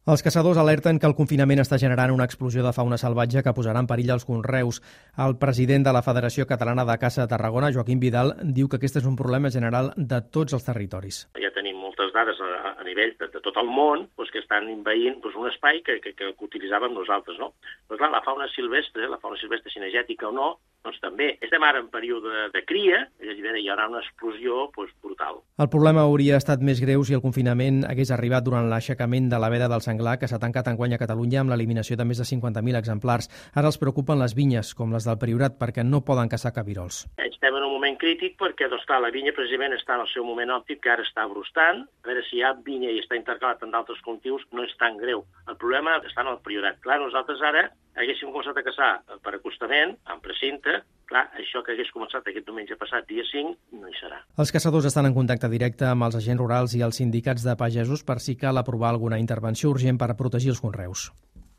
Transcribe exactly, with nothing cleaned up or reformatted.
Els caçadors alerten que el confinament està generant una explosió de fauna salvatge que posarà en perill els conreus. El president de la Federació Catalana de Caça de Tarragona, Joaquim Vidal, diu que aquest és un problema general de tots els territoris. Ja tenim moltes dades a, a nivell de, de tot el món doncs, que estan envaint doncs, un espai que, que, que utilitzàvem nosaltres. No? Però clar, la fauna silvestre, la fauna silvestre cinegètica o no, doncs també estem ara en període de cria, i hi haurà una explosió doncs, brutal. El problema hauria estat més greu si el confinament hagués arribat durant l'aixecament de la veda del senglar que s'ha tancat enguany a Catalunya amb l'eliminació de més de cinquanta mil exemplars. Ara els preocupen les vinyes, com les del Priorat, perquè no poden caçar cabirols. Estem en un moment crític perquè doncs, clar, la vinya precisament està en el seu moment òptim, que ara està brustant. A veure si hi ha vinya i està intercalat amb d'altres cultius, no és tan greu. El problema està en el Priorat. Clar, nosaltres ara haguéssim començat a caçar per acostament, en precinte. Clar, això que hagués començat aquest diumenge passat, dia cinc, no hi serà. Els caçadors estan en contacte directe amb els agents rurals i els sindicats de pagesos per si cal aprovar alguna intervenció urgent per protegir els conreus.